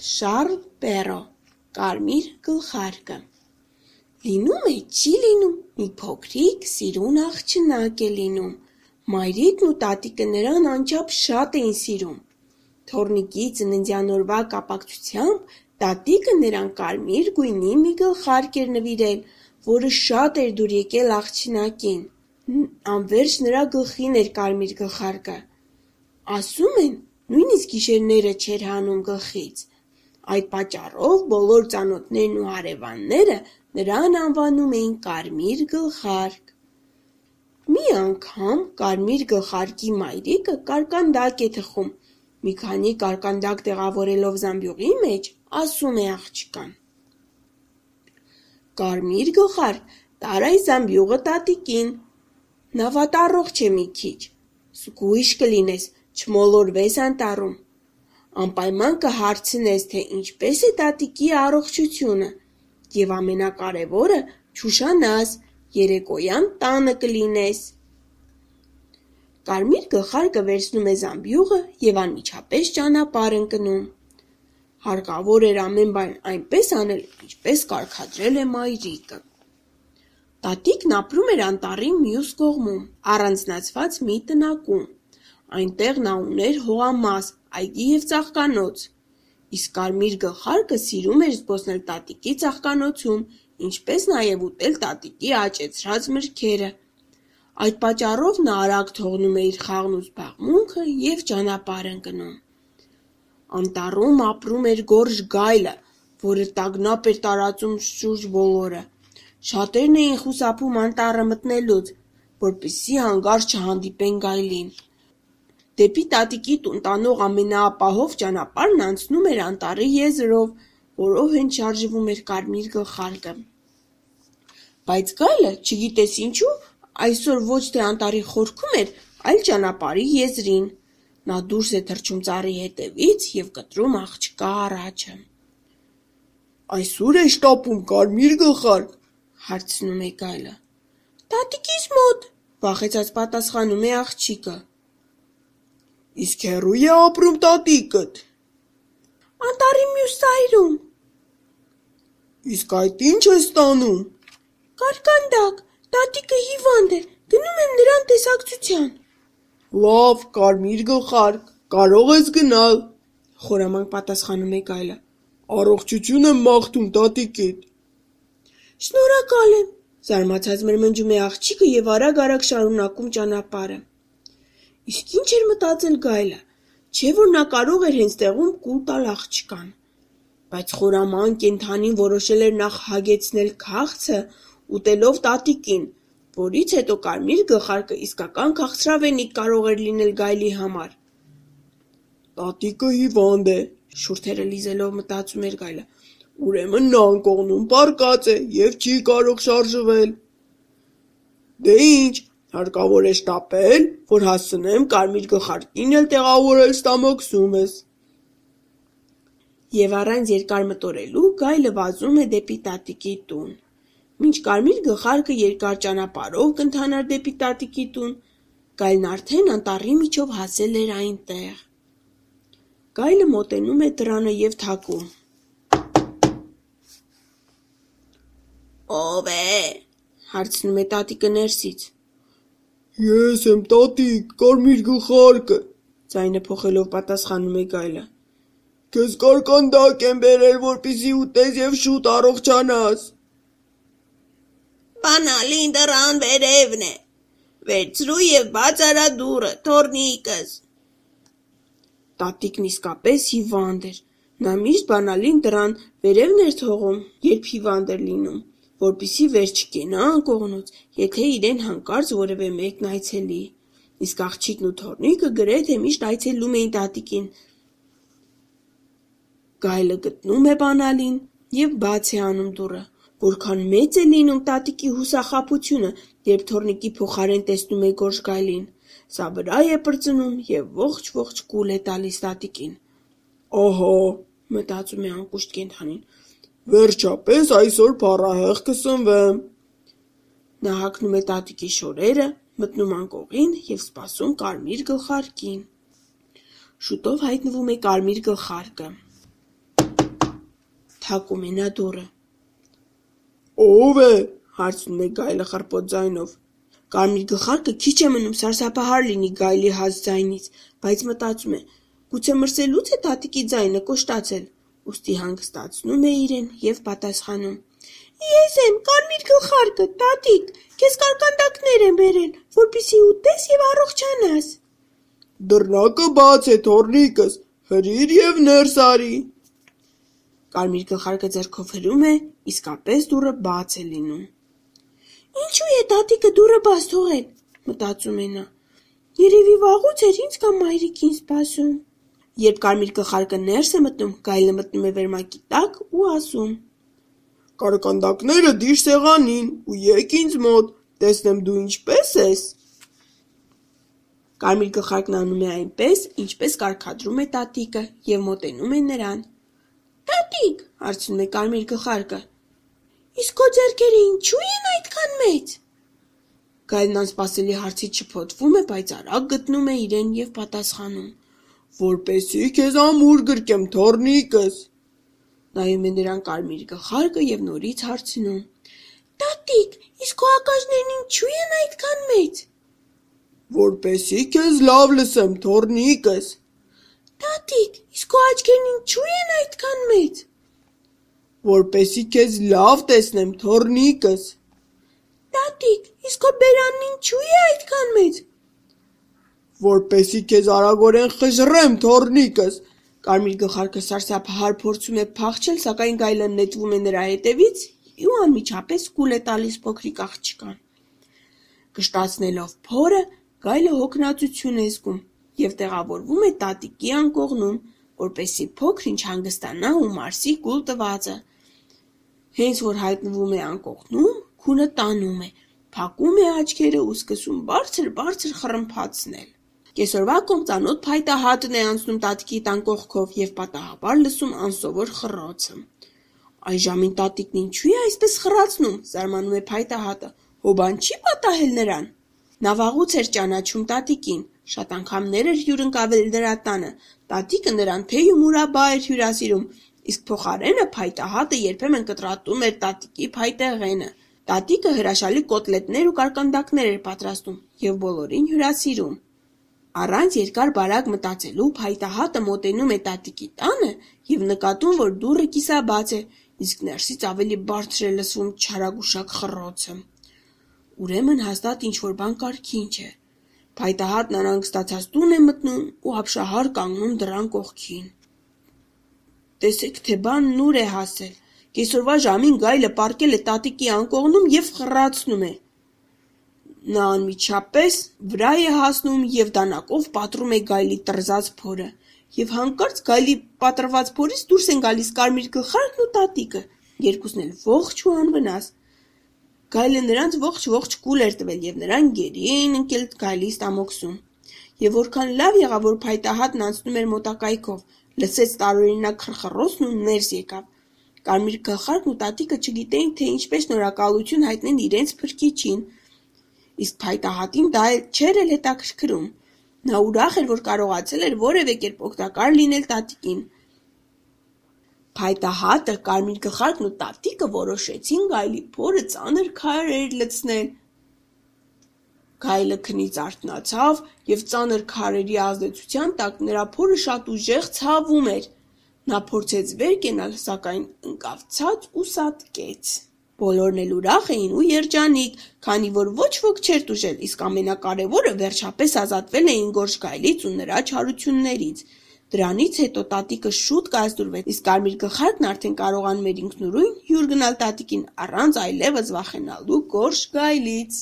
Շարլ Պերո, կարմիր գլխարկը։ Լինում է, չի լինում, մի փոքրիկ սիրուն աղջնակ է լինում։ Մայրիկն ու տատիկը նրան անչափ շատ էին սիրում։ Թոռնիկի ծննդյան օրվա կապակցությամբ տատիկը նրան կարմիր գույնի մի գլխարկ էր նվիրել, որը շատ էր դուր եկել աղջնակին։ Անվերջ նրա գլխին էր կարմիր գլխարկը։ Ասում են, նույնիսկ գիշերները չէր հանում գլխից։ Այդ պատճառով բոլոր ծանոթներն ու հարևանները նրան անվանում էին կարմիր գլխարկ։ Մի անգամ կարմիր գլխարկի մայրիկը կարկանդակ է թխում։ Մի քանի կարկանդակ տեղավորելով զամբյուղի մեջ, ասում է աղջկան. Կարմիր գլխարկ, տար այս զամբյուղը տատիկին։ Նա վատառողջ է մի քիչ։ Զգույշ կլինես, չմոլորվես անտառում։ Անպայման կհարցնես, թե ինչպես է տատիկի առողջությունը, և ամենակարևորը չուշանաս, երեկոյան տանը կլինես։ Կարմիր գլխարկը վերցնում է զամբյուղը և անմիջապես ճանապարհ ընկնում։ Հարկավոր էր ամեն բան այնպես անել, ինչպես կարգադրել է մայրիկը։ Տատիկն ապրում էր անտառի մյուս կողմում, առանձնացված մի տնակում։ Այնտեղ նա ուներ հողամաս, այգի և ծաղկանոց։ Իսկ կարմիր գլխարկը սիրում էր զբոսնել տատիկի ծաղկանոցում, ինչպես նաև ուտել տատիկի աճեցրած մրգերը։ Այդ պատճառով նա արագ թողնում է իր խաղն ու զբաղմունքը և ճանապարհ ընկնում։ Անտառում ապրում էր գորշ գայլը, որը տագնապ էր տարածում շուրջ բոլորը։ Շատերն էին խուսափում անտառը մտնելուց, որպեսզի հանկարծ չհանդիպեն գայլին։ Դեպի տատիկի տուն տանող ամենաապահով ճանապարհն անցնում էր անտառի եզրով, որով հենց շարժվում էր կարմիր գլխարկը։ Բայց գայլը, չգիտես ինչու, այսօր ոչ թե անտառի խորքում էր, այլ ճանապարհի եզրին։ Նա դուրս է թռչում ծառի հետևից և կտրում աղջկա առաջը։ Այս ո՞ւր է շտապում, կարմիր գլխարկ, հարցնում է գայլը։ Տատիկիս մոտ, վախեցած պատասխանում է աղջիկը։ Իսկ հեռու է ապրում տատիկդ։ Անտառի մյուս ծայրում։ Իսկ այդ ի՞նչ ես ստանում։ Կարկանդակ, տատիկը հիվանդ է, գնում եմ նրան տեսակցության։ Լավ, կարմիր գլխարկ, կարող ես գնալ, խորամանկ պատասխանում է գայլը։ Առողջություն եմ մաղթում տատիկիդ։ Շնորհակալ եմ, զարմացած մրմնջում է աղջիկը և արագ-արագ շարունակում ճանապարհը։ Իսկ ինչ էր մտածել գայլը, չէ՞ որ նա կարող էր հենց տեղում կուլ տալ աղջկան։ Բայց խորամանկ կենդանին որոշել էր նախ հագեցնել քաղցը, ուտելով տատիկին, որից հետո կարմիր գլխարկը իսկական քաղցրավենիք կարող էր լինել գայլի համար։ Տատիկը հիվանդ է, շուրթերը լիզելով մտածում էր գայլը, ուրեմն նա անկողնում պառկած է և չի կարող շարժվել։ Դե ինչ, հարկավոր է շտապել, որ հասցնեմ կարմիր գլխարկին էլ տեղավորել ստամոքսումս։ Եվ առանց երկար մտորելու գայլը վազում է դեպի տատիկի տուն։ Մինչ կարմիր գլխարկը երկար ճանապարհով կընթանար դեպի տատիկի տուն, գայլն արդեն անտառի միջով հասել էր այնտեղ։ Գայլը մոտենում է դռանը և թակում։ Ո՞վ է, հարցնում է տատիկը ներսից։ Ես եմ տատիկ, կարմիր գլխարկը, ձայնը փոխելով պատասխանում է գայլը։ Քեզ կարկանդակ եմ բերել, որպեսզի ուտես և շուտ առողջանաս։ Բանալին դռան վերևն է, վերցրու և բաց արա դուռը, թոռնիկս։ Տատիկն իսկապես հիվանդ էր, նա միշտ բանալին դռան վերևն էր թողում, երբ հիվանդ էր լինում, որպեսզի վեր չկենա անկողնուց, եթե իրեն հանկարծ որևէ մեկն այցելի։ Իսկ աղջիկն ու թոռնիկը գրեթե միշտ այցելում էին տատիկին։ Գայլը գտնում է բանալին և բաց է անում դուռը։ Որքան մեծ է լինում տատիկի հուսախաբությունը, երբ թոռնիկի փոխարեն տեսնում է գորշ գայլին։ Սա վրա է պրծնում և ողջ կուլ է տալիս տատիկին։ Ահա, մտածում է անկուշտ կենդանին, վերջապես այսօր փառահեղ կսնվեմ։ Նա հագնում է տատիկի շորերը, մտնում անկողին և սպասում կարմիր գլխարկին։ Շուտով հայտնվում է կարմիր գլխարկը։ փակում է նա դուռը։ Ո՞վ է, հարցնում է գայլը խռպոտ ձայնով։ Կարմիր գլխարկը քիչ է մնում սարսափահար լինի գայլի հաստ ձայնից, բայց մտածում է, գուցե մրսելուց է տատիկի ձայնը կոշտացել, ուստի հանգստացնում է իրեն և պատասխանում. Ես եմ, կարմիր գլխարկը, տատիկ, քեզ կարկանդակներ եմ բերել, որպեսզի ուտես և առողջանաս։ Դռնակը բաց է, թոռնիկս, հրիր և ներս արի։ Կարմիր գլխարկը ձեռքով հրում է, իսկապես դուռը բաց է լինում։ Ինչու է տատիկը դուռը բաց թողել, մտածում է նա, երևի վաղուց էր ինձ կամ մայրիկին սպասում։ Երբ կարմիր գլխարկը ներս է մտնում, գայլը մտնում է վերմակի տակ ու ասում. Կարկանդակները դիր սեղանին ու եկ ինձ մոտ, տեսնեմ դու ինչպես ես։ Կարմիր գլխարկն անում է այնպես, ինչպես կարգադրում է տատիկը և մոտենում է նրան։ Տատիկ, հարցնում է կարմիր գլխարկը, իսկ քո ձեռքերը ինչու են այդքան մեծ։ Գայլն անսպասելի հարցից շփոթվում է, բայց արագ գտնում է իրեն և պատասխանում. Որպեսզի քեզ ամուր գրկեմ, թոռնիկս։ Նայում է նրան կարմիր գլխարկը և նորից հարցնում. Տատիկ, իսկ քո հակազներն ինչու են այդքան մեծ։ Որպեսզի քեզ լավ լսեմ, թոռնիկս։ Տատիկ, իսկ քո աչքերն ինչու են այդքան մեծ։ Որպեսզի քեզ լավ տեսնեմ, թոռնիկս։ Տատիկ, իսկ քո բերանն ինչու է այդքան մեծ։ Որպեսզի քեզ արագորեն խժռեմ, թոռնիկս։ Կարմիր գլխարկը սարսափահար փորձում է փախչել, սակայն գայլը նետվում է նրա հետևից ու անմիջապես կուլ է տալիս փոքրիկ աղջկան։ Կշտացնելով փորը, գայլը հոգնածություն է զգում և տեղավորվում է տատիկի անկողնում, որպեսզի փոքր-ինչ հանգստանա ու մարսի կուլ տվածը։ Հենց որ հայտնվում է անկողնում, քունը տանում է, փակում է աչքերը ու սկսում բարձր-բարձր խռմփացնել։ Կեսօրվա կոմծանոտ փայտահատն է անցնում տատիկի տան կողքով և պատահաբար լսում անսովոր խռոցը։ Այս ժամին տատիկն ինչու է այսպես խռացնում, զարմանում է փայտահատը, հոբան չի պատահել նրան։ Նա վաղուց էր ճանաչում տատիկին, շատ անգամներ էր հյուրընկալվել նրա տանը, տատիկը նրան թեյ-ու-մուրաբա էր հյուրասիրում, իսկ փոխարենը փայտահատը երբեմն կտրատում էր տատիկի փայտեղենը։ Տատիկը հրաշալի կոտլետներ ու կարկանդակներ էր պատրաստում և բոլորին հյուրասիրում։ Առանց երկար-բարակ մտածելու փայտահատը մոտենում է տատիկի տանը և նկատում, որ դուռը կիսաբաց է, իսկ ներսից ավելի բարձր է լսվում չարագուշակ խռոցը։ Ուրեմն հաստատ ինչ-որ բան կարգին չէ։ Փայտահատն անհանգստացած տուն է մտնում ու ապշահար կանգնում դռան կողքին։ Տեսեք, թե բանն ուր է հասել։ Կեսօրվա ժամին գայլը պառկել է տատիկի անկողնում և խռացնում է։ Նա անմիջապես վրա է հասնում և դանակով պատռում է գայլի տրզած փորը, և հանկարծ գայլի պատռված փորից դուրս են գալիս կարմիր գլխարկն ու տատիկը, երկուսն էլ ողջ ու անվնաս։ Գայլը նրանց ողջ կուլ էր տվել և նրանք գերի էին ընկել գայլի ստամոքսում։ Եվ որքան լավ եղավ, որ փայտահատն անցնում էր մոտակայքով, լսեց տարօրինակ խռխռոցն ու ներս եկավ։ Կարմիր գլխարկն ու տատիկը չգիտեին, թե ինչպես շնորհակալություն հայտնեն իրենց փրկիչին, իսկ փայտահատին դա չէր էլ հետաքրքրում։ Նա ուրախ էր, որ կարողացել էր որևէ կերպ օգտակար լինել տատիկին։ Փայտահատը, կարմիր գլխարկն ու տատիկը որոշեցին գայլի փորը ծանր քարեր լցնել։ Գայլը քնից արթնացավ և ծանր քարերի ազդեցության տակ նրա փորը շատ ուժեղ ցավում էր։ Նա փորձեց վեր կենալ, սակայն ընկավ ցած ու սատկեց։ Բոլորն էլ ուրախ էին ու երջանիկ, քանի որ ոչ ոք չէր տուժել, իսկ ամենակարևորը վերջապես ազատվել էին գորշ գայլից ու նրա չարություններից։ Դրանից հետո տատիկը շուտ կազդուրվեց, իսկ կարմիր գլխարկն արդեն կարողանում էր ինքնուրույն հյուր գնալ տատիկին առանց այլևս վախենալու գորշ գայլից։